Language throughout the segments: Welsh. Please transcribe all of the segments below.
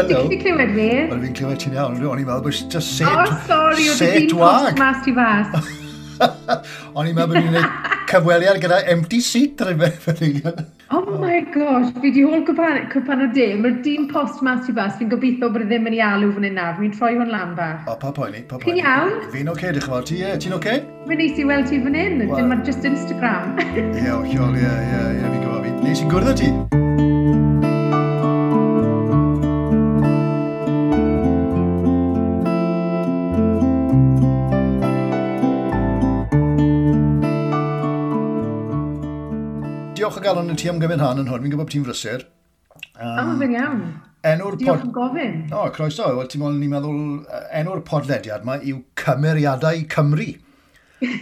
Hello. Ti'n clywed fi? Wel, fi'n clywed ti'n iawn. O'n i'n meddwl bod just set, Oh, sorry, oedd set hi'n wag. post mas ti fas. O'n i'n meddwl bod ni'n gwneud cyfweliad gyda empty seat ar y eiliad. Oh my gosh, fi di hôl cwpan o de. Mae'r dyn post mas ti fas, fi'n gobeithio bod e ddim yn ei alw fan hyn nawr. Fi'n troi hwn lan bach. O, pa poeni, pa Chi'n poeni. iawn? Fi'n oce, diolch yn fawr. Ti, ie, ti'n oce? Mae'n neis i weld ti fan hyn. Wel- Dim ar just Instagram. Ie, hollol, ie, ie, ie, fi'n gwybod fi. Neis i gwrdd â ti. Diolch o galon i ti am gymryd rhan yn hwn. Fi'n gwybod bod ti'n frysur. O, fe'n iawn. Enw'r Diolch pod... am gofyn. O, croeso. Wel, ti'n meddwl, ni'n meddwl, enw'r podlediad yma yw Cymeriadau Cymru.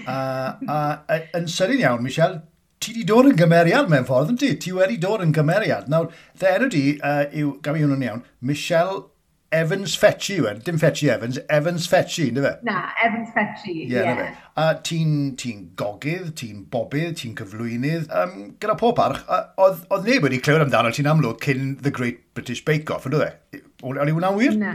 A yn sydyn iawn, Michelle, ti di dod yn gymeriad mewn ffordd, yn ti? Ti wedi dod yn gymeriad. Nawr, dy enw di yw, gaf i hwnnw'n iawn, Michelle Evans Fetchy yw e. Dim Fetchy Evans, Evans Fetchy, ynddo fe? Na, Evans Fetchy. Ie, na fe. A ti'n ti gogydd, ti'n bobydd, ti'n cyflwynydd. Gyda pob parch, oedd neb wedi clywed amdano ti'n amlwg cyn The Great British Bake Off, ynddo fe? O'n i hwnna'n wir? Na.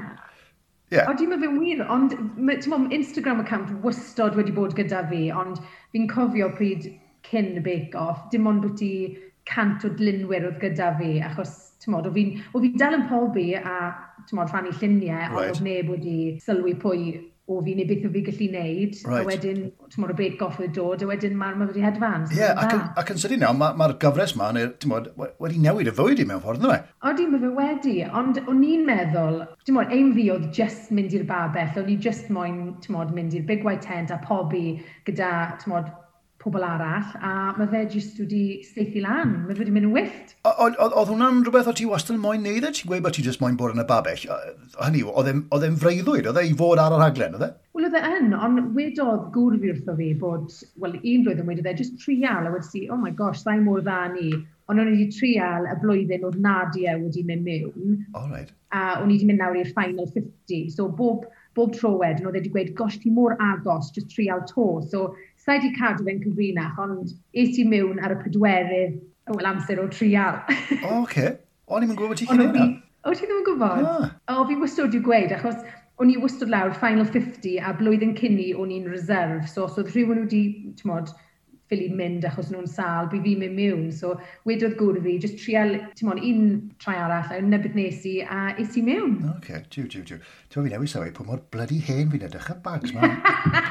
Ie. O, dim fe'n wir, ond ti'n mo, Instagram account wastod wedi bod gyda fi, ond fi'n cofio pryd cyn y Bake Off, dim ond bod ti 100 o dlunwyr oedd gyda fi, achos, ti'n modd, o fi'n dal yn pobi a, ti'n modd, rhannu lluniau, ond oedd neb wedi sylwi pwy o fi neu beth o fi gallu neud. A wedyn, ti'n modd, y Bake Off oedd dod, a wedyn mae'r ma wedi hedfan. Ie, yeah, ac yn sydyn iawn, mae'r ma gyfres ma, neu, ti'n modd, wedi newid y fywyd i mewn ffordd, ynddo fe? Odi, mae fe wedi, ond o'n i'n meddwl, ti'n modd, aim fi oedd just mynd i'r babell, o'n i just moyn, ti'n modd, mynd i'r Big White Tent a pobi gyda, ti'n modd, pobl arall, a mae fe jyst wedi saethu lan, mae fe wedi mynd yn wyllt. Oedd hwnna'n rhywbeth o ti wastad yn moyn neud e? Ti'n gweud bod ti jyst moyn bod yn y babell? Hynny yw, oedd e'n freuddwyd, oedd e i fod ar y rhaglen, oedd e? Wel, oedd e yn, ond wedodd gŵr fi wrtho fi bod, wel, un blwyddyn wedodd e, just trial, a wedi si, oh my gosh, sa'i mor dda ni. Ond o'n i wedi trial y blwyddyn oedd Nadia wedi mynd mewn. All right. A o'n i wedi mynd nawr i'r final 50. So bob tro wedyn, oedd e wedi gweud, gosh, ti mor agos, just trial to. So, sa'i wedi cadw fe'n cyfrinach, ond es i mewn ar y pedwerydd, wel, amser o trial. O, oce. O'n i'm yn gwybod bod ti'n gwneud hwnna. O, ti ddim yn gwybod? O, fi wastad wedi gweud, achos o'n i wastad lawr final 50 a blwyddyn cyn i o'n i'n reserve. So, os oedd rhywun wedi, ti'n modd, ffili mynd achos nhw'n sâl, bu fi'n mynd mewn. So, wedodd gŵr fi, just trial, ti'n modd, un trai arall, a yna beth nes i, a es i mewn. Oce, jiw, jiw, jiw. Ti'n fi newid sylwi, pwy mor bloody hen fi'n edrych y bags ma.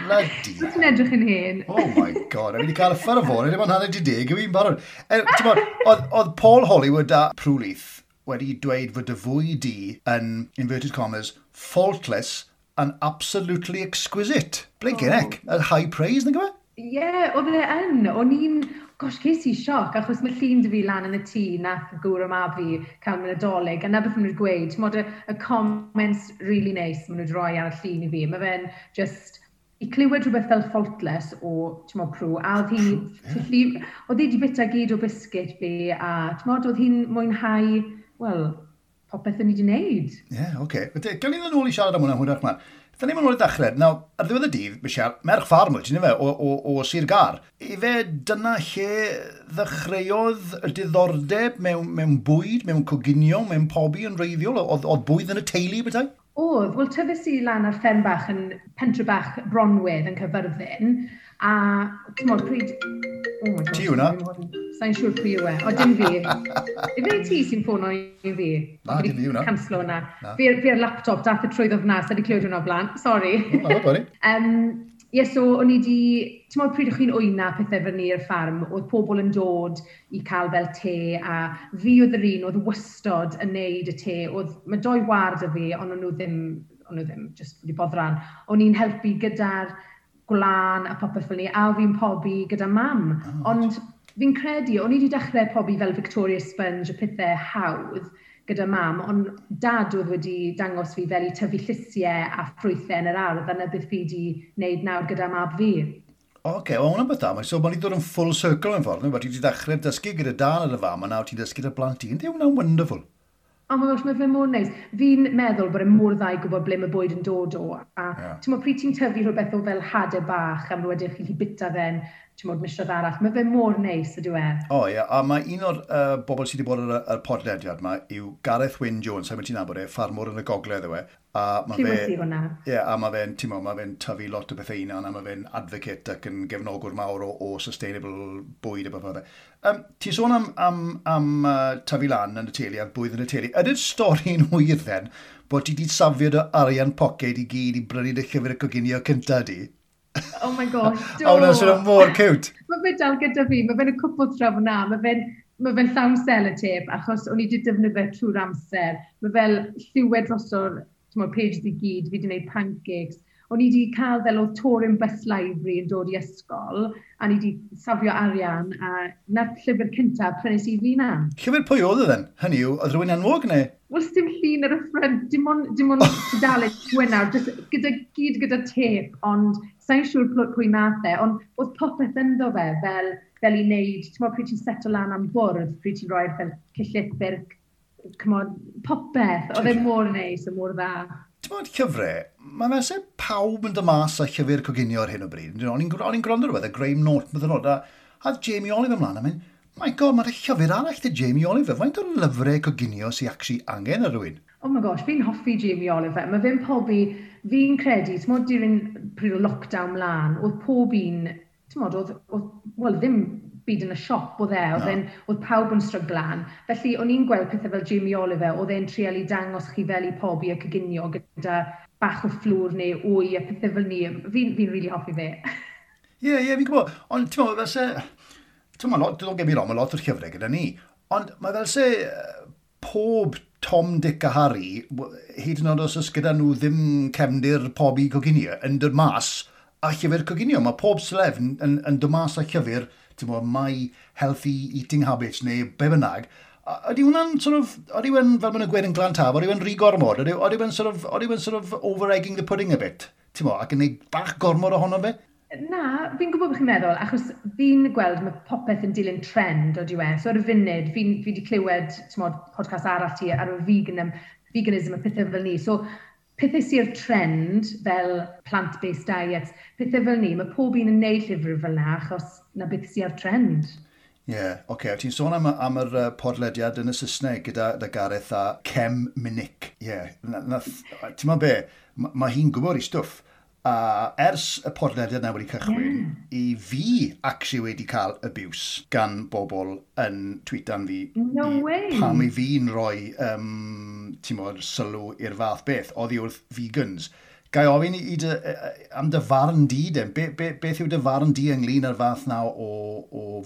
Bloody hell. Ti'n edrych yn hen. Oh my god, a fi wedi cael y ffer o fôn, ddim ond 10:30, yw i'n barod. Ti'n modd, oedd Paul Hollywood a Prue Leith wedi dweud fod y fwy di yn, inverted commas, faultless and absolutely exquisite. Blinking heck, a high praise, nag yw e? Ie, yeah, oedd e yn. O'n i'n, gosh, ces i sioc, achos mae llun dy fi lan yn y tŷ nath gŵr o mab fi cael mynd Nadolig, a na beth maen nhw'n gweud, ti'n modd, y comments really nice maen nhw wedi rhoi ar y llun i fi. Mae fe'n just, i clywed rhywbeth fel faultless o, ti'n modd, Prue, a oedd hi, oedd hi wedi bita gyd o biscuit fi, a ti'n modd, oedd hi'n mwynhau, wel, popeth o'n i wedi wneud. Ie, yeah, oce. Okay. Gawn ni ddod nôl i siarad am hwnna hwyrach mlaen. Da ni'n mynd nôl i ddechrau. Nawr, ar ddiwedd y dydd, Michelle, merch ffarm wyt ti'n fe, o Sir Gâr. Ife dyna lle ddechreuodd y diddordeb mewn bwyd, mewn coginio, mewn pobi yn wreiddiol? Oedd bwyd yn y teulu bethau? Oedd. Wel, tyfes i lan ar fferm bach yn pentre bach Bronwydd yn Caerfyrddin. A, ti'n modd, pryd... Oh my gosh. Ti hwnna? Sa'n siŵr pwy yw e. O, dim fi. Ife ti sy'n ffono i fi? Na, dim fi hwnna. Canslo hwnna. Fi ar laptop, dath y trwyddo fyna, sa di clywed hwnna o blaen. Sorry. Na, bori. Ie, so o'n i di... Ti'n modd, pryd o'ch chi'n wyna pethau fyny i'r ffarm, oedd pobl yn dod i cael fel te, a fi oedd yr un oedd wastod yn neud y te. Oedd, mae doi ward o fi, ond o'n nhw ddim, just wedi boddran. O'n i'n helpu gyda'r gwlân a popeth fel ni, a fi'n pobi gyda mam. Oh. Ond fi'n credu, o'n i wedi dechrau pobi fel Victoria Sponge a pethau hawdd gyda mam, ond dad oedd wedi dangos fi fel i tyfu llysiau a ffrwythau yn yr ardd, a na beth fi wedi wneud nawr gyda mab fi. Oce, okay, wel hwnna'n beth da. So, mae'n i ddod yn full circle yn ffordd. Ti wedi dechrau dysgu gyda dad a dy fam, a nawr ti'n dysgu dy blant ti. Yndi, hwnna'n wonderful. Oh my gosh, mae fe mor neis. Fi'n meddwl bod e mor dda i gwybod ble mae bwyd yn dod o. A yeah. Ti'n pryd ti'n tyfu rhywbeth o fel hadau bach am rhywbeth chi'n bita fe'n ti'n modd, misoedd arall. Mae fe mor neis, ydyw e. O ie, yeah. A mae un o'r bobl sydd wedi bod ar y podlediad yma yw Gareth Wyn Jones, sa'n ti'n nabod e, ffarmwr yn y gogledd yw e. A ma fe, hwnna. Ie, yeah, a mae fe'n, ti'n mae fe'n tyfu lot o bethau hunan, a mae fe'n advocate ac yn gefnogwr mawr o sustainable bwyd a bethau. Ti'n sôn am tyfu lan yn y teulu a'r bwyd yn y teulu. Ydy'r stori'n wir then bod ti wedi safio dy arian poced i gyd i brynu dy llyfr y coginio cynta di? Oh my gosh, do. O, hwnna'n swnio mor cute. Mae fe dal gyda fi, mae fe'n y cwpl draw fyna, mae fe'n llawn sellotape, achos o'n i wedi defnyddio fe trwy'r amser. Mae fel lliwed droso'r pages i gyd, fi wedi gwneud pancakes. O'n i wedi cael fel oedd Touring Bus Library yn dod i ysgol, a ni wedi safio arian, a na'r llyfr cyntaf prynes i fi na. Llyfr pwy oedd e then? Hynny yw, oedd rhywun enwog neu? Wel, dim llun ar y ffrynt, dim ond tudalen gwyn nawr, just gyda, gyd gyda tep, ond sa'n siŵr pwy nath e, ond oedd popeth ynddo fe fel i wneud, ti'n meddwl pryd ti'n seto lan am bwrdd, pryd ti'n rhoi'r fel cyllid, c'mon, popeth, oedd e mor neis a mor dda. Ti'n meddwl llyfrau, mae fe se pawb yn dod mas â llyfr coginio ar hyn o bryd. O'n i'n gwrando rhywbeth, y Graham Norton, bydden nhw, a Jamie Oliver ymlaen, a mynd, my God, mae'r llyfr arall dy Jamie Oliver. Faint o lyfrau coginio sy'n actually angen ar rhywun? Oh my gosh, fi'n hoffi Jamie Oliver. Mae fe'n pobi, fi'n credu, ti'n modd during pryd o lockdown mlaen, oedd pob un, ti'n modd, oedd, wel, ddim byd yn y siop oedd e, oedd, no. Oedd pawb yn stryglan. Felly, o'n i'n gweld pethau fel Jamie Oliver, oedd e'n trial i dangos chi fel i pobi a coginio gyda bach o fflwr neu wy a pethau fel ni. Fi'n really hoffi fe. Ie, yeah, ie, yeah, fi'n gwybod. Ond, ti'n meddwl, fel se... Ti'n meddwl, don't get me wrong, mae lot o'r llyfrau gyda ni. Ond mae fel se pob Tom, Dick a Harry, hyd yn oed os oes gyda nhw ddim cefndir pobi coginio, yn dod mas a llyfr coginio. Mae pob celeb yn dod mas a llyfr, ti'n meddwl, My Healthy Eating Habits neu be bynnag. Ydy hwnna'n sort of, ydy hwnna'n, fel maen nhw'n gweud yn Glantaf, ydy hwnna'n rhy gormod? Ydy hwnna'n sort of over-egging the pudding a bit? Ti'n meddwl, ac yn neud bach gormod ohono fe? Na, fi'n gwybod beth chi'n meddwl, achos fi'n gweld mae popeth yn dilyn trend o diwe. So ar y funud, fi wedi clywed, t'mod, podcast arall ti ar y veganism a pethau fel ni. So pethau sy'r trend fel plant-based diets, pethau fel ni, mae pob un yn neud llyfr fel na, achos na beth sy'r trend. Ie, yeah, oce. Okay. Ti'n sôn am yr podlediad yn y Saesneg gyda Gareth a Kem Minick. Ie, yeah, ti'n meddwl be, mae hi'n gwybod i stwff. A ers y podlediad na wedi cychwyn, i fi actually wedi cael abuse gan bobl yn tweetan fi. No way! Pam i fi'n rhoi, ti'n modd, sylw i'r fath beth, oddi wrth vegans. Gai ofyn am dy farn di, den? Beth yw dy farn di ynglyn â'r fath na o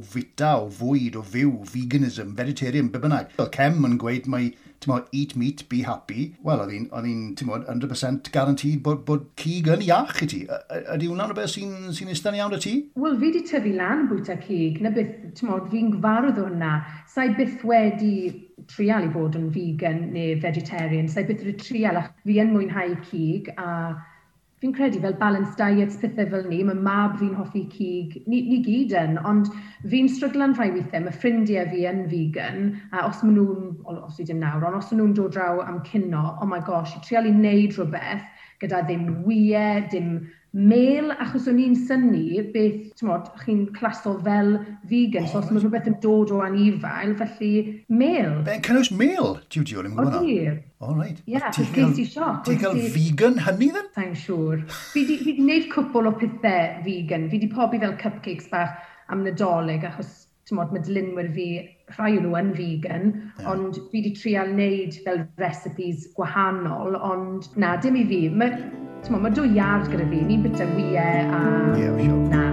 fita, o fwyd, o fyw, veganism, vegetarian, be bynnag? Oedd Kem yn gweud mai, ti'n modd, eat meat, be happy. Wel, oedd hi'n, ti'n modd, 100% guaranteed bod cig yn iach i ti. Ydy hwnna'n rhywbeth sy'n eistedd iawn y ti? Wel, fi wedi tyfu lan yn bwyta cig, na beth, ti'n modd, fi'n gyfarwydd o hwnna. Sa'i byth wedi trial i fod yn vegan neu vegetarian, sa'i byth wedi trial, ach fi yn mwynhau cig, a fi'n credu fel balanced diets, pethau fel ni, mae mab fi'n hoffi cig, ni gyd yn, ond fi'n stryglan rhai weithiau, mae ffrindiau fi yn vegan, a os maen nhw'n, os i dim nawr, ond os maen nhw'n dod draw am cino, oh my gosh, i trial i wneud rhywbeth gyda ddim wyau, dim mel, achos o'n i'n synnu beth, t'mod, chi'n claso fel vegan, so os mae rhywbeth yn dod o anifail, felly mel. Be'n cynnwys mel? Jiw, jiw, o'n i'n gwybod hwnna. Ydi. All right. Ie, achos ges i sioc. Ti'n cael vegan hynny then? Sa'n siŵr. Fi di wneud cwpl o pethau vegan. Fi di pobi fel cupcakes bach am Nadolig, achos t'mod, mae dylunwyr fi, rhai o'n nhw yn vegan, ond fi di trial wneud fel recipes gwahanol, ond na, dim i fi. Mae, t'mod, mae dwy iard gyda fi, ni'n bita wyau a... Ie, yeah, sure. Na.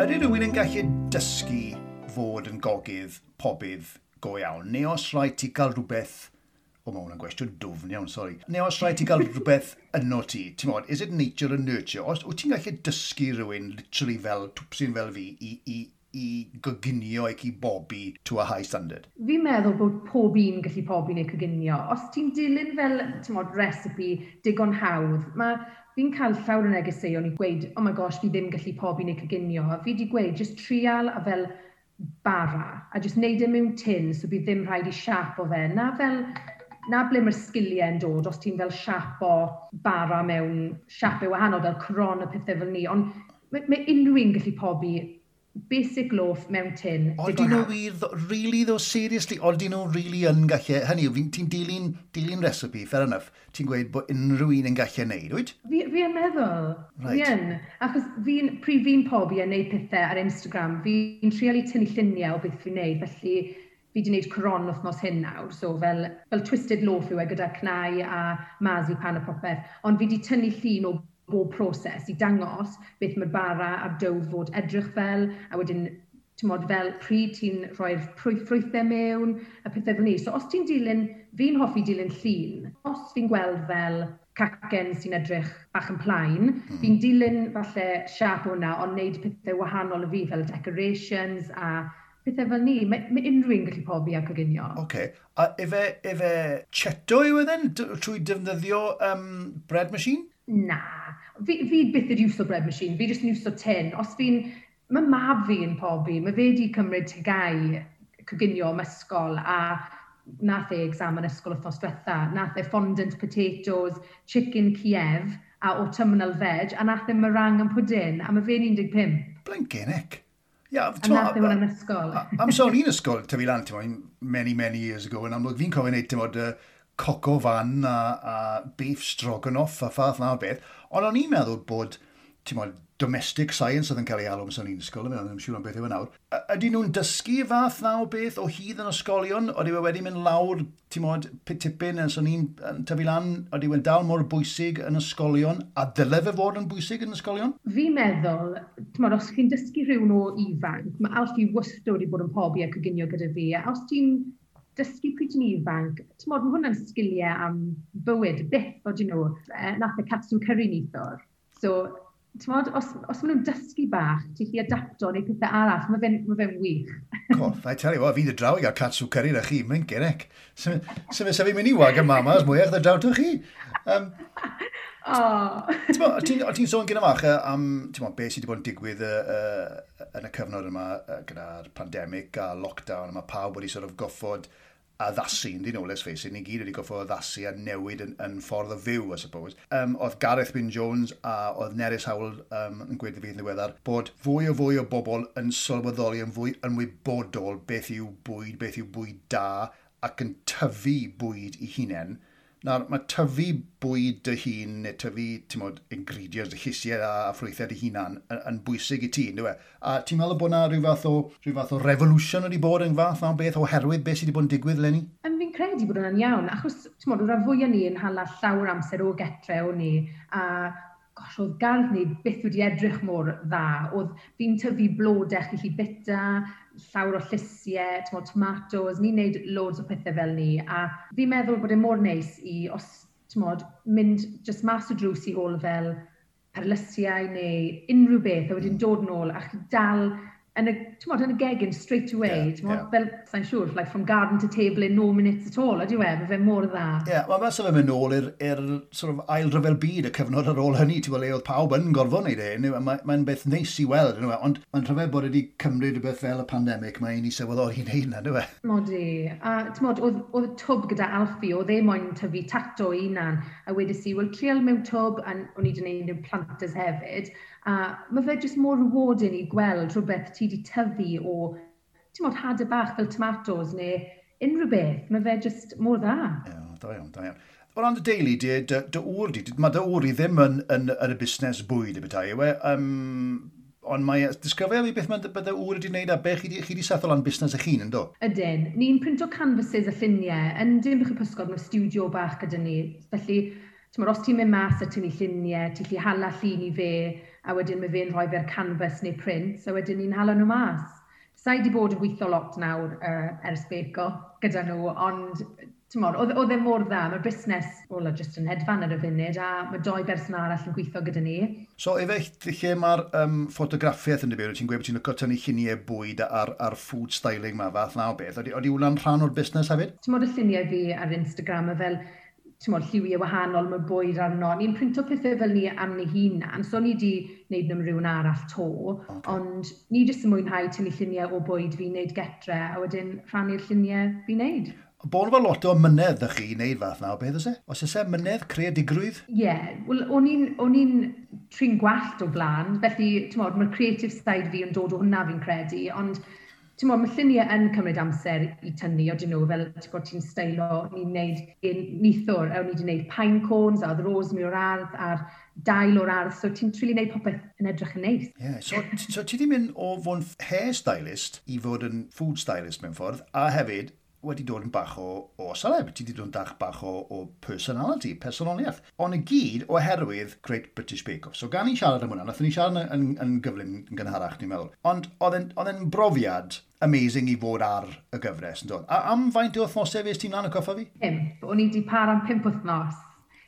Ydy rhywun yn gallu dysgu fod yn gogydd, pobydd go iawn, neu os rhaid ti gael rhywbeth... O, mae hwnna'n gwestiwn dwfn iawn, sori. Neu os rhaid ti gael rhywbeth yno ti, ti'n modd, is it nature and nurture? Os wyt ti'n gallu dysgu rhywun, literally fel twpsyn fel fi, i i goginio ac i bobi to a high standard? Fi'n meddwl bod pob un gallu pobi neu coginio. Os ti'n dilyn fel, ti'n recipe digon hawdd, mae fi'n cael llawer o negeseuon i gweud, "Oh my gosh, fi ddim gallu pobi neu coginio." A fi wedi gweud, just trial a fel bara, a just neud e mewn tin, so bydd ddim rhaid i siapo fe. Na fel, na ble mae'r sgiliau yn dod, os ti'n fel siapo bara mewn siapau wahanol, fel cron a pethau fel ni. Ond mae unrhyw un gallu pobi basic loaf mewn tin. Oedden nhw wir, really though, seriously, oedden nhw really yn gallu, hynny yw, ti'n dilyn recipe, fair enough, ti'n gweud bod unrhyw un yn gallu neud, wyt? Fi yn meddwl, right. Fi yn. Achos pryd fi'n pobi a neud pethau ar Instagram, fi'n trial i tynnu lluniau o beth fi'n neud, felly fi wedi gwneud coron wythnos hyn nawr, so fel twisted loaf yw e gyda cnau a marzipan a popeth, ond fi wedi tynnu llun o bob proses i dangos beth mae'r bara a'r dough fod edrych fel, a wedyn, ti'n fel pryd ti'n rhoi'r ffrwythau mewn, a pethau fel ni. So os ti'n dilyn, fi'n hoffi dilyn llun, os fi'n gweld fel cacen sy'n edrych bach yn plaen, fi'n dilyn falle siap hwnna, ond wneud pethau wahanol i fi, fel decorations a pethau fel ni. Mae unrhyw un gallu pobi a coginio. Oce. Okay. A efe cheato yw e then, trwy defnyddio bread machine? Na. Fi byth yn iwso bread machine. Fi jyst yn iwso tin. Os fi'n... Mae mab fi yn pobi. Mae fe wedi cymryd TGAU coginio am ysgol a nath e exam yn ysgol wythnos diwetha. Nath e fondant potatoes, chicken Kiev a autumnal veg, a nath e meringue and pudding, a mae fe'n 15. Blinking heck. Yeah, a nath e hwn yn ysgol. Am sôn un ysgol, tyfu lan, ti'n many, many years ago, yn amlwg fi'n cofio wneud, ti'n bod, coq au vin a beef stroganoff a ffath na o beth. Ond o'n i'n meddwl bod, ti'n bod, domestic science oedd yn cael ei alw am un ysgol, ddim siŵr am beth yw e nawr. Ydy nhw'n dysgu fath na o beth o hyd yn ysgolion? Oeddi wedi mynd lawr, ti'n mod, tipyn yn son i'n tyfu lan, oeddi wedi dal mor bwysig yn ysgolion, a dyle fe fod yn bwysig yn ysgolion? Fi'n meddwl, ti'n mod, os chi'n dysgu rhywun o ifanc, mae Alfie wastad wedi bod yn pobi a coginio gyda fi, a os ti'n dysgu pryd ti'n ifanc, ti'n mod, mae hwnna'n sgiliau am bywyd, byth, o dyn nhw. Nath e katsu curry neithiwr. So, t'mod, os maen nhw'n dysgu bach, ti'n gallu adapto neu pethau arall, mae fe'n ma fe wych. Coff, I tell you what, fi ddod draw i gael katsu curry na chi, mae'n gerec. So fe fi'n mynd i Wagamama's mwyach ddod draw to chi. Oh. Ti'n sôn gyda fach am t'mo, beth sydd wedi bod yn digwydd yn y cyfnod yma gyda'r pandemig a lockdown, a mae pawb wedi sort of goffod addasu, ynddi nhw, let's face it, ni gyd wedi goffod addasu a newid yn ffordd o fyw, I suppose. Oedd Gareth Wyn Jones a oedd Nerys Howell yn gweud fi yn ddiweddar bod fwy o fwy o bobl yn sylweddoli yn fwy ymwybodol beth yw bwyd da ac yn tyfu bwyd i hunain. Nawr, mae tyfu bwyd dy hun, neu tyfu, ti'n mod, ingredients, y llysiau a ffrwythau dy hunan yn bwysig i ti, ynddo e? A ti'n meddwl bod na rhyw fath o revolution wedi bod yn fath na'n beth oherwydd beth sydd wedi bod yn digwydd leni? Yn fi'n credu bod hwnna'n iawn, achos, ti'n mod, o'r fwyaf ni yn hala llawer amser o getre o ni, a gosh, oedd gardd ni byth wedi edrych mor dda. Oedd fi'n tyfu blodau chi bita, llawer o llysiau, t'mod, tomatoes, ni'n neud loads o pethau fel ni. A fi'n meddwl bod e mor neis i, os, t'mod, mynd just mas o drws i hôl fel perlysiau neu unrhyw beth, a wedyn dod nôl a chi dal yn y, t'mod, yn y gegin straight away, t'mod, fel, sa'n siŵr, like from garden to table in no minutes at all, ydy e, mae fe mor dda. Ie, yeah, wel, mae fe'n mynd nôl i'r sort of ail ryfel byd, y cyfnod ar ôl hynny, ti'n gweld, le oedd pawb yn gorfod wneud e. Mae'n beth neis i weld, yndyw e? Ond mae'n rhyfedd bod wedi cymryd rhywbeth fel y pandemig, mae i ni sylweddoli wneud yna, yndyw e? Modi, a t'mod, oedd y twb gyda Alfie, oedd e moyn tyfu tato i hunan, a wedes i, wel, trial mewn twb, a o'n i wedi gwneud mewn planters hefyd, a mae fe jyst mor rewarding i gweld rhywbeth ti wedi tyfu o, ti'n mod, hadau bach fel tomatoes neu unrhyw beth, mae fe jyst mor dda. Ie, yeah, da iawn, da iawn. O ran dy deulu, dy ŵr di, mae dy ŵr i ddim yn y busnes bwyd y bethau, yw e? Ond mae, disgrifio fi beth mae dy ŵr wedi wneud a beth chi di settle lan busnes eich hun, yn do? Ydyn. Ni'n printo canvases a lluniau. Yn Dinbych y Pysgod, mae studio bach gyda ni. Felly, t'mod, os ti'n mynd mas a tynnu lluniau, ti'n gallu hala llun i fe, a wedyn mae fe'n rhoi fe'r canvas neu print, a wedyn ni'n hala nhw mas. Sa i wedi bod yn gweithio lot nawr ers Bake Off gyda nhw, ond T'mod, oedd e mor dda, mae'r busnes, wel, jyst yn hedfan ar y funud, a mae doi berson arall yn gweithio gyda ni. So, efe lle mae'r ffotograffiaeth yn dibyn, ti'n gweud bod ti'n licio tynnu lluniau bwyd ar food styling ma, fath na o beth. Oeddi hwnna'n rhan o'r busnes hefyd? T'mod y lluniau fi ar Instagram, a fel, t'mod, lliwiau wahanol, mae bwyd arno. Ni'n printo pethau fel ni am ni hunan, so ni di wneud nhw am rhywun arall to, ond ni jyst yn mwynhau tynnu lluniau o bwyd fi'n neud getre, a wedyn rhannu'r lluniau fi'n neud. Bod fel lot o mynedd ydych chi i wneud fath na o beth oes e? Os oes e mynedd, creadigrwydd? Ie, yeah, wel, o'n i'n trin gwallt o blaen, felly, t'mod, mae'r creative side fi yn dod o hwnna fi'n credu, ond, t'mod, mae lluniau yn cymryd amser i tynnu, odyn nhw, fel, ti'n gwybod, ti'n steilo, ni'n neud nithwr, a o'n i wedi gwneud pine cones, a oedd rosemary o'r ardd, a'r dail o'r ardd, so ti'n trili gwneud popeth yn edrych yn neis. Ie, yeah, so ti di mynd o fod yn hair stylist i fod yn food stylist mewn ffordd, a hefyd wedi dod yn bach o celeb. Ti wedi dod yn bach o personality, personoliaeth. Ond i gyd oherwydd Great British Bake Off. So gan i siarad am hwnna, nathon ni siarad yn gyflym yn gynharach, ni'n meddwl. Ond oedd e'n brofiad amazing i fod ar y gyfres, yn dod. A am faint o wythnosau fes ti'n lan y coffa fi? 5. O'n i wedi para am 5 wythnos.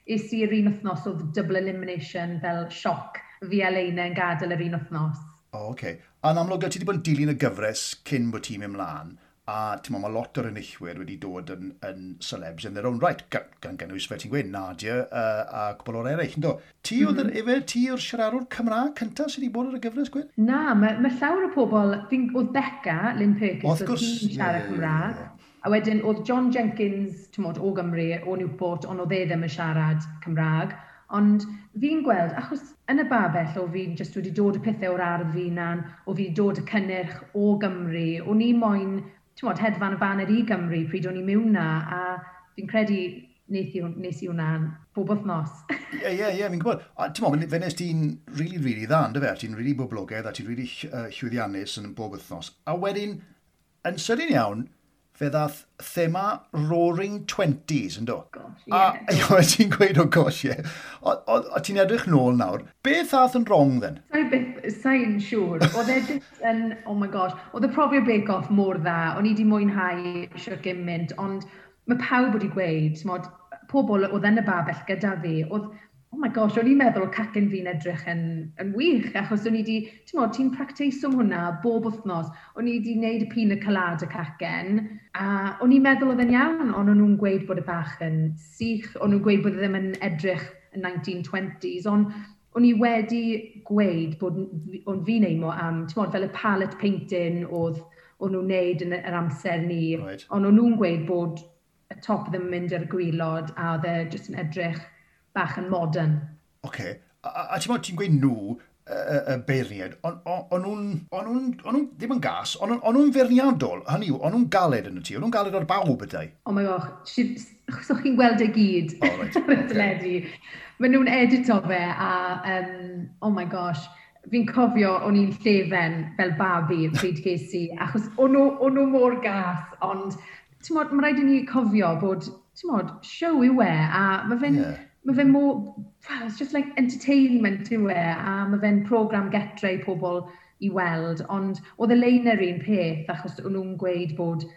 Es i'r un wythnos oedd double elimination fel sioc fi a Leina yn gadael yr un wythnos. O, oh, oce. Okay. A'n amlwg, ti wedi bod yn dilyn y gyfres cyn bod ti'n mynd mlaen. A ti'n mae lot o'r enillwyr wedi dod yn celebs in their own right, gan gynnwys fe ti'n gweud, Nadia a cwbl o'r eraill, ynddo? Ti oedd mm -hmm. efe, ti yw'r siaradwr Cymraeg cyntaf sydd wedi bod ar y gyfres, Gwyn? Na, mae llawer o pobl, oedd Becca, Lynn Perkins, oedd hi'n siarad Cymraeg. Yeah. A wedyn oedd John Jenkins, ti'n modd, o Gymru, o Newport, ond oedd e ddim yn siarad Cymraeg. Ond fi'n gweld, achos yn y babell o fi'n just wedi dod y pethau o'r ardd fi na'n, o fi wedi dod y cynnyrch o Gymru, o'n i moyn, ti'n modd, hedfan y baner i Gymru pryd o'n i mewn na, a fi'n credu nes i hwnna bob wythnos. Ie, fi'n gwybod. A ti'n modd, fe nes ti'n really, really dda, ynddo fe? Ti'n really boblogaidd a ti'n really llwyddiannus yn bob wythnos. A wedyn, yn sydyn iawn, fe ddath thema Roaring Twenties, ynddo? Gosh, ie. Yeah. A ti'n gweud, oh gosh, ie. Yeah. O ti'n edrych nôl nawr. Beth ath yn wrong, then? Sa'n siŵr. Oedd e just yn, oh my gosh, oedd y profiad Bake Off mor dda. O'n i wedi mwynhau siwr gymaint, ond mae pawb wedi gweud, mod, pobl oedd yn y babell gyda fi, oedd, oh my gosh, o'n i'n meddwl cacen fi'n edrych yn wych, achos o'n i wedi, ti'n modd, ti'n practeiso hwnna bob wythnos, o'n i wedi gwneud y pina colada cacen, a o'n i'n meddwl oedd e'n iawn, ond o'n nhw'n gweud bod y bach yn sych, o'n nhw'n gweud bod e ddim yn edrych yn 1920s, ond o'n i wedi gweud bod o'n fi'n aimo am, ti'n modd, fel y palette painting oedd o'n nhw'n neud yn yr amser ni, ond o'n nhw'n gweud bod y top ddim yn mynd ar y gwaelod, a oedd e jyst yn edrych bach yn modern. Oce. Okay. A ti'n ti'n gweud nhw, y beirniaid, o'n nhw ddim yn gas, o'n nhw'n feirniadol, hynny yw, o'n nhw'n galed yn y ti, o'n nhw'n galed ar bawb ydau. Oh my gosh, so chi'n gweld e gyd oh, right. ar y teledu. Maen nhw'n edito fe a, oh my gosh, fi'n cofio o'n i'n llefen fel babi pryd ges i, achos o'n nhw mor gas, ond ti'n modd, mae rhaid i ni cofio bod, ti'n modd, show yw e, a mae fe'n mae fe'n more, well, it's just like entertainment yw e, a mae fe'n program getre i pobl i weld, ond oedd y lein yr un peth, achos o'n nhw'n gweud bod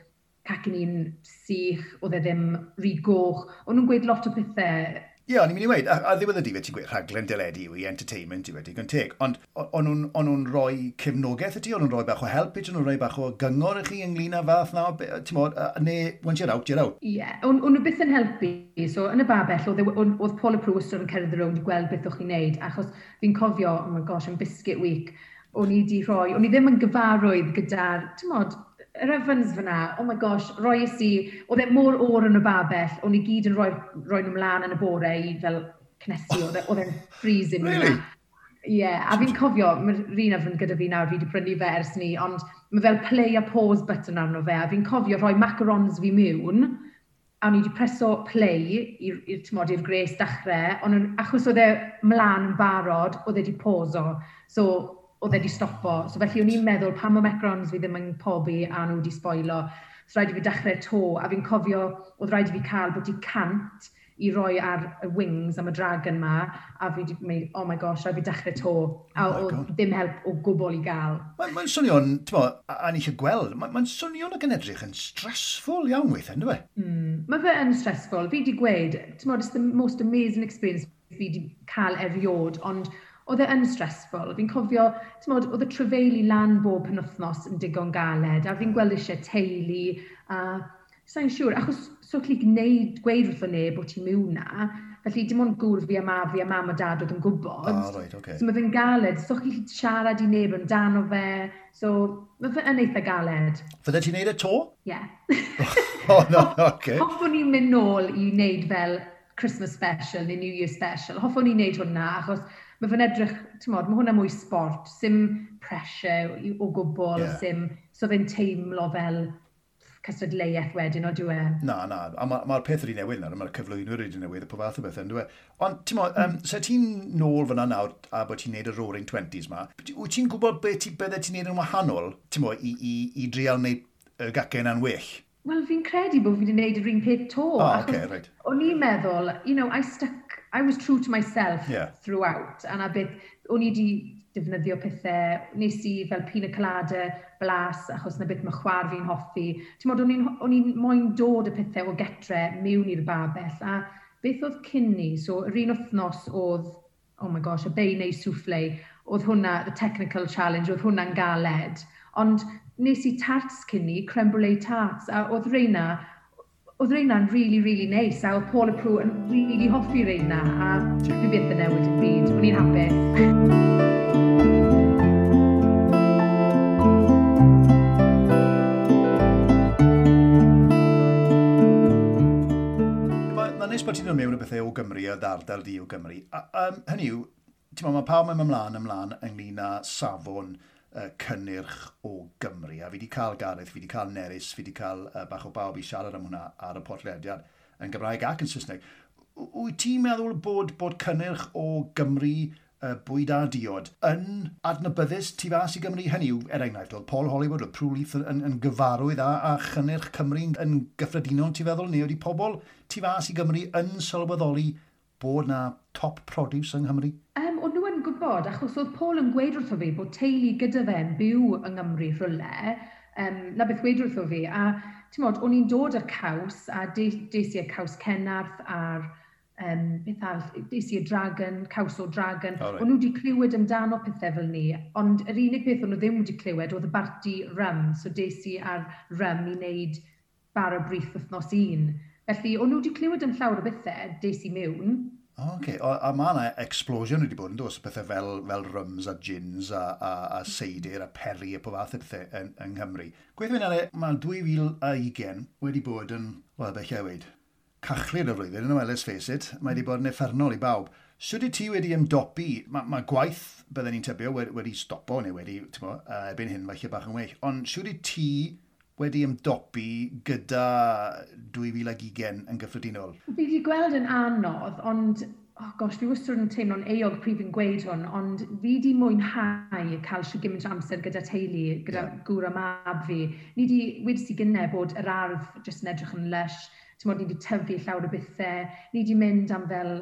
cacen i'n sych, oedd e ddim rhy goch, o'n nhw'n gweud lot o pethau. Ie, o'n i'n mynd i weud, a ddiwedd y dydd ti'n gweud rhaglen deledu yw i entertainment i wedi, digon teg, ond o'n nhw'n rhoi cefnogaeth i ti, o'n nhw'n rhoi bach o help i ti, o'n nhw'n rhoi bach o gyngor i chi ynglyn â fath na, ti'n modd, neu once you're out, you're out. Ie, yeah, o'n nhw byth yn helpu, so yn y babell, oedd Paul y Prw wastad yn cerdded rownd i gweld beth o'ch chi'n neud, achos fi'n cofio, oh my gosh, yn Biscuit Week, o'n i di rhoi, o'n i ddim yn gyfarwydd gyda'r, ti'n modd, yr ovens fyna, oh my gosh, roes i, oedd e mor oer yn y babell, o'n i gyd yn rhoi nhw mlaen yn y bore i fel cnesu, oedd e'n freezing. Really? Ie, yeah, a fi'n cofio, mae'r un oven gyda fi nawr, fi wedi prynu fe ers ni, ond mae fel play a pause button arno fe, a fi'n cofio rhoi macarons fi mewn, a o'n i wedi preso play i'r gres dechrau, ond achos oedd e mlaen yn barod, oedd e wedi pauso, so oedd e wedi stopo. So felly o'n i'n meddwl pam mae macarons fi ddim yn pobi a nhw wedi spoilo, so rhaid i fi dechrau to, a fi'n cofio oedd rhaid i fi cael bod i 100 i roi ar y wings am y dragon ma, a fi wedi mynd, oh my gosh, rhaid fi dechrau to, a oh oedd ddim help o gwbl i gael. Mae'n swnio'n, ti'n mo, a ni eisiau gweld, mae'n swnio'n ac yn edrych yn stressful iawn weithiau, ynddo fe? Mae fe yn stressful. Fi wedi gweud, ti'n it's the most amazing experience fi wedi cael eriod, ond oedd e yn stressful. Fi'n cofio, ti'n modd, oedd y trefeili lan bob penwthnos yn digon galed, a fi'n gweld eisiau teulu, a sa'n siŵr, achos so chi gwneud, gweud wrtho neb bod ti'n mewn na, felly dim ond gŵr fi a ma fi a mam a dad oedd yn gwybod. Ah, right, okay. So mae fe'n galed, so chi'n siarad i neb amdano fe, so mae fe yn eitha galed. Fydde ti'n neud e to? Ie. Yeah. Oh, no, okay. Hoffwn i'n mynd nôl i wneud fel Christmas special neu New Year special. Hoffwn i'n wneud hwnna, achos mae fe'n edrych, ti'n modd, mae hwnna mwy sport, sim pressure o gwbl, yeah. Sim, so fe'n teimlo fel cystadleuaeth wedyn, o dwi e? Na, na, a mae'r ma peth wedi newid nawr, mae'r cyflwynwyr wedi newid, a pob fath o beth, yn dwi e? Ond, ti'n mo, se ti'n nôl fyna nawr a bod ti'n neud y Roaring Twenties ma, wyt ti'n gwybod beth ti, bydde ti'n neud yn wahanol, ti'n mo, i drial neud y gacen yn well? Wel, fi'n credu bod fi wedi gwneud yr un peth to. Oh, okay, right. O'n i'n meddwl, I was true to myself throughout. A na beth, o'n i wedi defnyddio pethau, nes i fel pina colada, blas, achos na beth mae chwar fi'n hoffi. Ti'n modd, o'n i'n moyn dod y pethau o getre mewn i'r babell. A beth oedd cyn ni, so yr un wythnos oedd, oh my gosh, y bayonnaise souffle, oedd hwnna, the technical challenge, oedd hwnna'n galed. Ond nes i tarts cyn ni, creme brulee tarts, a oedd reina'n really, really nice, a oedd Paul a Prue yn really hoffi reina, a dwi byth yn newid y byd, o'n i'n hapus. Mae'n neis bod ti'n dod mewn o bethau o Gymru a ardal di o Gymru. A, hynny yw, ti'n meddwl, mae pawb yn ymlaen ynglyn â safon cynnyrch o Gymru. A fi wedi cael Gareth, fi wedi cael Nerys, fi wedi cael bach o bawb i siarad am hwnna ar y podlediad yn Gymraeg ac yn Saesneg. Wyt ti'n meddwl bod cynnyrch o Gymru, bwyd a diod, yn adnabyddus tu fas i Gymru? Hynny yw, er enghraifft, oedd Paul Hollywood, oedd Prue Leith yn gyfarwydd a chynnyrch Cymru yn gyffredinol, ti'n feddwl? Neu ydy pobl tu fas i Gymru yn sylweddoli bod na top produce yng Nghymru? O'n nhw yn gwybod, achos oedd Paul yn gweud wrtho fi bod teulu gyda fe'n byw yng Nghymru rhywle, na beth gweud wrtho fi, a ti'n modd, o'n i'n dod â'r caws, a des i y caws Cenarth a'r beth arall, des i y dragon, caws o dragon. Oh, right. O'n nhw wedi clywed amdano pethau fel ni, ond yr unig beth o'n nhw ddim wedi clywed oedd y barti rum, so des i ar rum i wneud bara brith wythnos un. Felly, o'n nhw wedi clywed am llawer o bethau, des i mewn. O, okay. A mae yna explosion wedi bod yn dos, pethau fel rums a gins a seidr a perry a pob fath o pethau yng Nghymru. Gweithio fi'n ale, mae 2020 wedi bod yn, wel, beth lle weid, cachlyd y flwyddyn, yn well, let's face it, mae wedi bod yn uffernol i bawb. Sut wyt ti wedi ymdopi? Mae gwaith, bydden ni'n tybio, wedi stopo neu wedi, ti'n bo, erbyn hyn, falle bach yn well, ond sut wyt ti wedi ymdopi gyda 2020 yn gyffredinol? Fi wedi gweld yn anodd, ond, oh gosh, fi wastad yn teimlo'n euog pryd fi'n gweud hwn, ond fi wedi mwynhau cael shwt gymaint o amser gyda teulu, gyda gŵr a mab fi. Ni wedi, wedes i gynnau bod yr ardd jyst yn edrych yn lush, ti'n modd, ni wedi tyfu llawer o bethau, ni wedi mynd am fel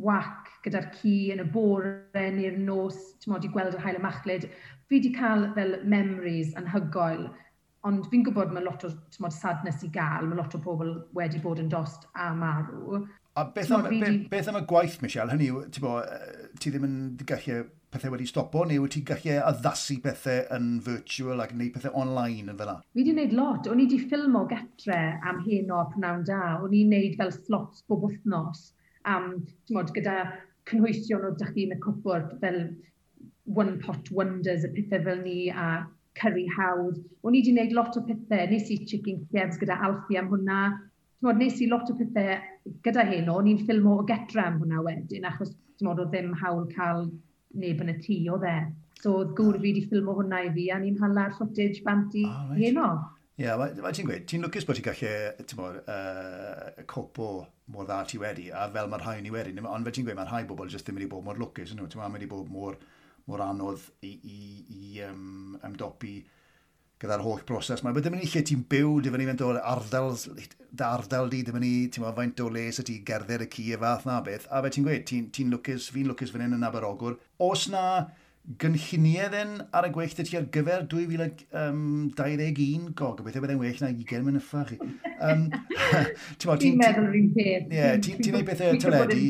wac gyda'r ci yn y bore neu'r nos, ti'n modd, i gweld yr haul y machlud. Fi wedi cael fel memories anhygoel. Ond fi'n gwybod mae lot o, ti'n modd, sadness i gael, mae lot o bobl wedi bod yn dost a marw. A beth am y gwaith, Michelle? Hynny yw, ti'n bo, ti ddim yn gallu pethau wedi stopo, neu wyt ti'n gallu addasu pethau yn virtual ac gwneud pethau online yn fel 'na? Fi wedi gwneud lot. O'n i wedi ffilmo getre am heno a prynawn da. O'n i'n gwneud fel slots bob wythnos am, ti'n modd, gyda cynhwysion o dych chi yn y cwpwrdd, fel one pot wonders a pethau fel ni a curry hawdd. O'n i wedi gwneud lot o pethau. Nes i chicken Kievs gyda Alfie am hwnna. Ti'n modd, nes i lot o pethau gyda heno. O'n i'n ffilmo o getre am hwnna wedyn, achos ti'n modd, oedd ddim hawl cael neb yn y tŷ, oedd e. So oedd gŵr fi wedi ffilmo hwnna i fi, a ni'n hala'r footage bant i heno. Ie, yeah, ti'n gweud, ti'n lwcus bod ti'n gallu, ti'n modd, copo mor dda ti wedi, a fel mae'r rhai ni wedi. Ond fel ti'n gweud, mae'r rhai bobl jyst ddim wedi bod mor lwcus, nhw. Ti'n modd, mae wedi bod mor anodd i ymdopi gyda'r holl broses. Mae ddim yn lle ti'n byw, dim yn faint o ardal, dy ardal di, dim yn i, ti'n meddwl, faint o le sy ti gerdded y ci y fath na beth. A fe ti'n gweud, ti'n lwcus, fi'n lwcus fan hyn yn Aberogwr. Oes na gynlluniau then ar y gweill 'da ti ar gyfer 2021? Go, gobeithio byddai'n well na 20 mynyffa chi. Ti'n meddwl yr un peth. Ie, ti'n neud pethau teledu.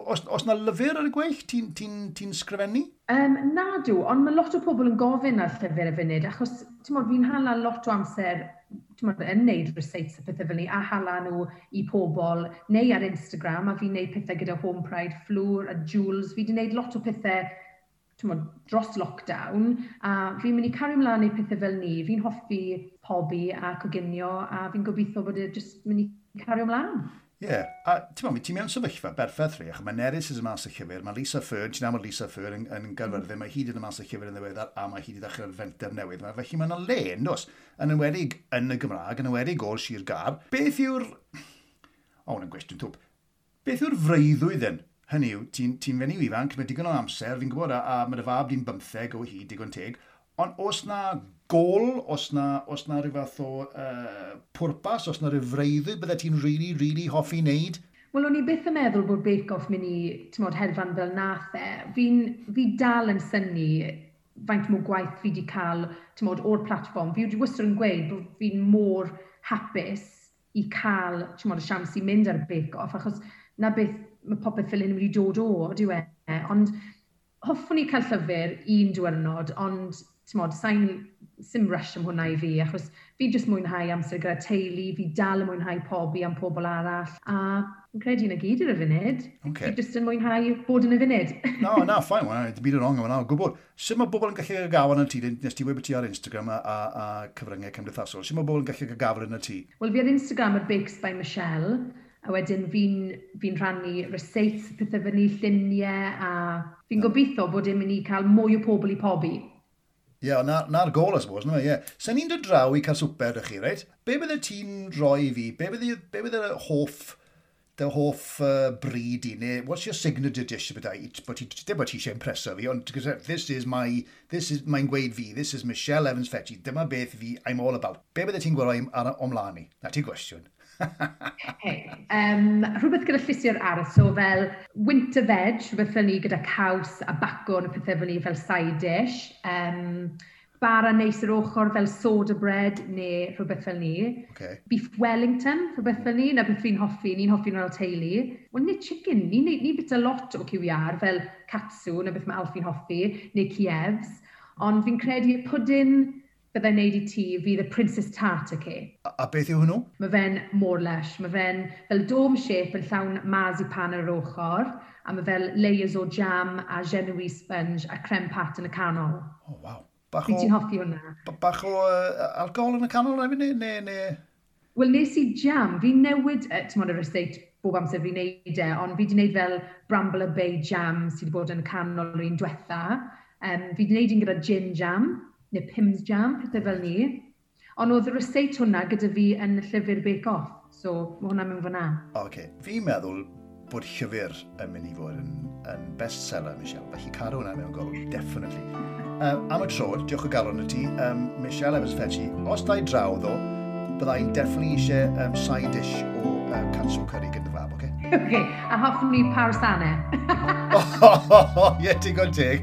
Os na lyfr ar y gweill, ti'n ti, ti sgrifennu? Na dw, ond mae lot o pobl yn gofyn ar llyfr y funud, achos fi'n hala lot o amser, t'mod, yn neud receipts a pethau fel ni, a hala nhw i pobl, neu ar Instagram, a fi'n neud pethau gyda Home Pride, Fleur a Jules. Fi wedi neud lot o pethau, t'mod, dros lockdown, a fi'n mynd i cario ymlaen i pethau fel ni. Fi'n hoffi pobi a coginio, a fi'n gobeithio bod e jyst mynd i cario ymlaen. Ie, yeah. A ti'n ti mewn sefyllfa berffaith rhi, achos mae Nerys yn mas y llyfr, mae Lisa Fearn, ti'n amod Lisa Fearn yn Gaerfyrddin, mae hi wedi mas y llyfr yn ddiweddar, a mae hi wedi dechrau'r fenter newydd. Mae, felly mae yna le, yn does, yn enwedig yn y Gymraeg, yn enwedig o'r Sir Gâr. Beth yw'r... O, hwn yn gwestiwn twp. Beth yw'r freuddwyd yn? Hynny yw, ti'n ti fenyw ifanc, mae digon o amser, fi'n gwybod, a mae dy fab di'n 15 o hyd, digon teg, ond os na gol, os na rhyw fath o pwrpas, os na rhyw freuddwyd bydde ti'n really, really hoffi wneud? Wel, o'n i byth yn meddwl bod Bake Off mynd i, t'mod, hedfan fel nath e. Fi dal yn synnu faint mwy gwaith fi wedi cael, t'mod, o'r platfform. Fi wedi wastad yn gweud bod fi'n mor hapus i cael, t'mod, y siawns i mynd ar y Bake Off, achos na beth mae popeth fel hyn wedi dod o, dyw e. Ond hoffwn i cael llyfr un diwrnod, ond t'mod, sa'n sim rush am hwnna i fi, achos fi jyst mwynhau amser gyda teulu, fi dal yn mwynhau pobi am pobl arall, a fi'n credu na gyd ar y funud. Okay. Fi jyst yn mwynhau bod yn y funud. No, na, fine, well, dim byd yn wrong yma, o gwbl. Sut mae bobl yn gallu gael gafel yn ti? Nes ti weud bod ti ar Instagram a cyfryngau cymdeithasol. Sut mae bobl yn gallu gael gafel yn y ti? Wel, fi ar Instagram ar Bakes by Michelle, a wedyn fi'n rhannu receipts, pethau fyny, lluniau, a fi'n gobeithio bod e'n mynd i cael mwy o pobl i pobi. Ie, yeah, na'r na gol, I suppose, no? Ie. Yeah. Sen ni'n dod draw i cael swper â chi, reit? Be bydde ti'n rhoi i fi? Be bydde dy hoff bryd i? Neu, what's your signature dish? Bydde, bod ti, dim bod ti eisiau impreso fi, ond this is, mae'n gweud fi, this is Michelle Evans Fetchy, dyma beth fi, I'm all about. Be bydde ti'n gweld ar o'mlaen i? Na ti gwestiwn. Okay. Rhywbeth gyda llysiau'r ardd, so fel winter veg, rhywbeth fel ni gyda caws a bacwn a pethau fel ni fel side dish. Bara neis yr ochr fel soda bread neu rhywbeth fel ni. Beef Wellington, rhywbeth fel ni, na beth fi'n hoffi, ni'n hoffi nhw fel teulu. Wel, nid chicken, ni bita lot o cyw iâr fel katsu, na beth mae Alfie'n hoffi, neu Kievs. Ond fi'n credu pwdin byddai'n neud i ti fydd y Princess Tart, okay? A beth yw hwnnw? Mae fe'n mor lush. Mae fe'n fel dome shape yn llawn marzipan ar yr ochr, a mae fel layers o jam a genoise sponge a creme pat yn y canol. Oh, waw. Bach o... Ti'n hoffi hwnna? Bach o alcohol yn y canol hefyd, neu? Wel, nes i jam. Fi'n newid, ti'n modd, y receipt bob amser fi'n neud e, ond fi wedi neud fel Bramble Bay jam sydd wedi bod yn y canol yr un diwetha. Fi wedi neud un gyda gin jam, neu Pimm's jam, pethau fel ni. Ond oedd y receipt hwnna gyda fi yn y llyfr Bake Off, so mae hwnna mewn fyna. Oce, okay. Fi'n meddwl bod llyfr yn mynd i fod yn bestseller, Michelle. Felly cadw hwnna mewn golwg, definitely. Am y tro, diolch o galon i ti, Michelle Evans Fetchy. Os da i draw, ddo, byddai'n definitely eisiau side dish o katsu curry gyda fab, oce? Okay? Okay, a hoffwn ni parasane. Ie, digon teg.